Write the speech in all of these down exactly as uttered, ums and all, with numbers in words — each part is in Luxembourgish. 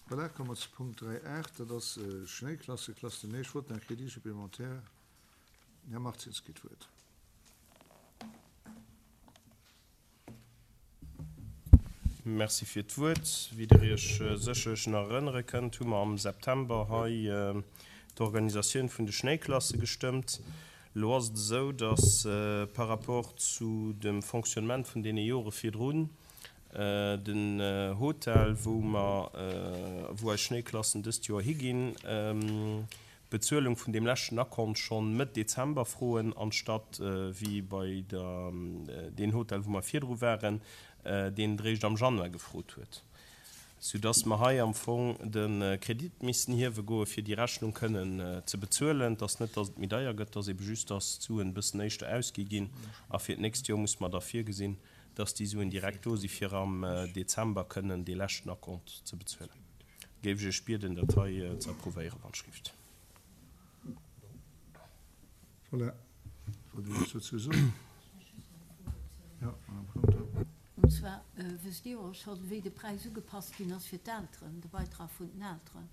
Voilà, komme mer zu Punkt dräi aacht, dat ass Schnéiklasse, Classe de neige, vote d'un crédit supplémentaire. Den Här Martins kritt d'Wuert. Merci fir d'Wuert. Wéi Der Iech sécherlech nach erënnere kënnt, hu mer am September hei d'Organisatioun vun de Schnéiklasse gestëmmt. Elo ass et esou, datt par rapport zu dem Fonctionnement vun deene Jore virdrun den Hotel, wou mer, wou eis Schnéiklassen dëst Joer higinn, d'Bezuelung vun deem leschten Akkont schonn Mëtt Dezember froen, anstatt wéi bei der deen Hotel, wou mer virdru waren, deen et eréischt am Januar gefrot huet, soudass mer hei am Fong de Kredit missten hiewe goe fir déi Rechnung kënnen ze bezuelen. Et ass net, dass et méi deier gëtt, et ass ebe just, dass d'Suen e bëssen éischter ausgi ginn a fir d'nächst Joer muss mer da virgesinn, dass déi Suen direkt do si fir am Dezember kënnen dee leschten Akkont ze bezuelen. Géif ech Iech bieden, dat hei ze approuvéieren, wann Schrift. Voilà, wollt Dir eppes dozou soen? Jo, Madame Conter. Und zwar wësst Dir och schonn, wéi de Präis ugepasst ginn ass fir d'Elteren, de Beitrag vun den Elteren?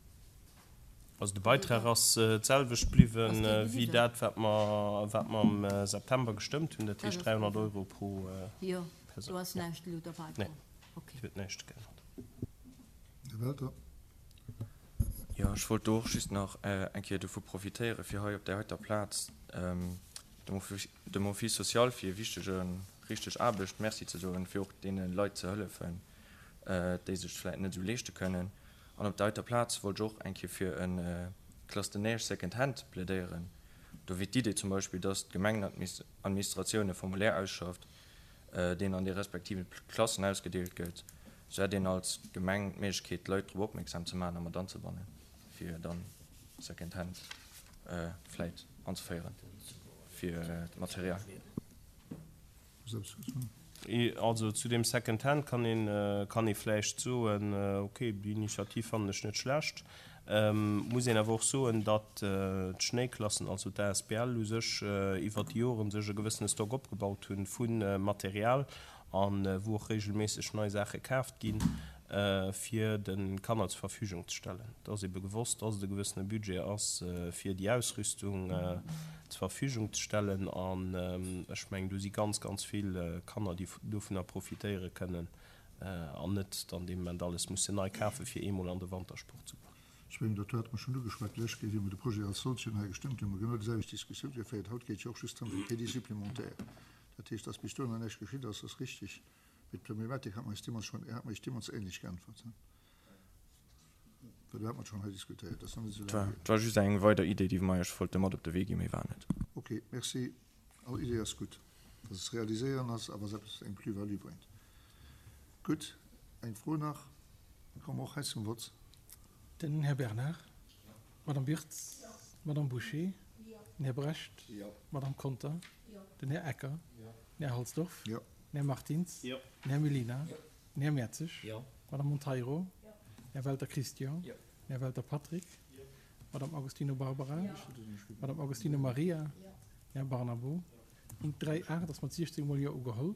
Also de Beitrag ass d'selwecht bliwwen wéi dat, wat mer, wat mer am September gestëmmt hunn, dat heescht dräihonnert Euro pro Jo, Persoun. Do ass näischt elo derbäi komm? Nee, et huet näischt geännert. Här Welter. Jo, ech wollt do och just nach eng Kéier dovu profitéieren, fir hei op där heiter Plaz dem Office social fir hir wichtege, richteg Aarbecht Merci ze soen, fir och deene Leit ze hëllefen, déi sech et vläicht net esou leeschte kënnen. An op der heiter Plaz wollt ech och eng Kéier fir e Classe de neige second hand plädéieren. Do wier d'Idee zum Beispill, dass d'Gemengenadministratioun e Formulaire ausschafft, deen an de respektive Klassen ausgedeelt gëtt, sou hätt een als Gemeng d'Méiglechkeet, d'Leit drop opmierksam ze maachen a mat anzebannen, fir dann Second Hand vläit anzeféieren fir d'Material. Also zu deem Second Hand kann een, kann ee vläicht soen, okay, déi Initiativ fannen ech net schlecht. Muss een awer och soen, datt d'Schnéiklassen, also d'A S B L u sech iwwert déi Joren sech e gewëssene Stock opgebaut hunn vu Material a wou och regelméisseg nei Saache kaaft ginn, fir de Kanner zur Verfügung ze stellen. Et ass ebe gewosst, datt et e gewëssene Budget ass, fir déi Ausrüstung zur Verfügung ze stellen. An ech mengen, do si ganz, ganz vill Kanner, déi dovunner profitéiere kënnen an net dann dee Moment alles mussen nei kafen, fir eemol an de Wantersport ze goen. Ech mengen, dat hate mer schonn ugeschwat d'lescht Kéier, wéi mer de Projet als solchen hei gestëmmt hunn, hu mer genau déiselwecht Diskussioun geféiert. Haut geet et jo och just drëm fir Crédit supplémentaire. Dat heescht, dass bis dohinner näischt geschitt ass, ass richtig. Mee d'Problematik hat mer eis deemools schonn, hat mer Iech deemools ähnlech geäntwert, well do hat mer et schonn hei diskutéiert. Dat ass nach net esou laang hier. Et war just eng weider Idee, déi mer Iech wollte mat op de Wee ginn, méi war net. Ok, merci. All Idee ass gutt, wa se ze realiséieren ass a wa se eppes, eng Plus-value bréngt. Gutt, eng Fro nach, da komme mer och hei zum Vott. Den Här Bernard. D'Madame Birtz. D'Madame Bouché. Den Här Brecht. D'Madame Conter. Den Här Ecker. Den Här Halsdorf. Den Här Martins. Den Här Mellina. Den Här Mertzig. D'Madame Monteiro. Den Här Welter Christian. Den Här Welter Patrick. D'Madame Agostino Barbara. D'Madame Agostino Maria. Den Här Barnabo. Punkt dräi aacht ass mat siechzéng mol Jo ugeholl.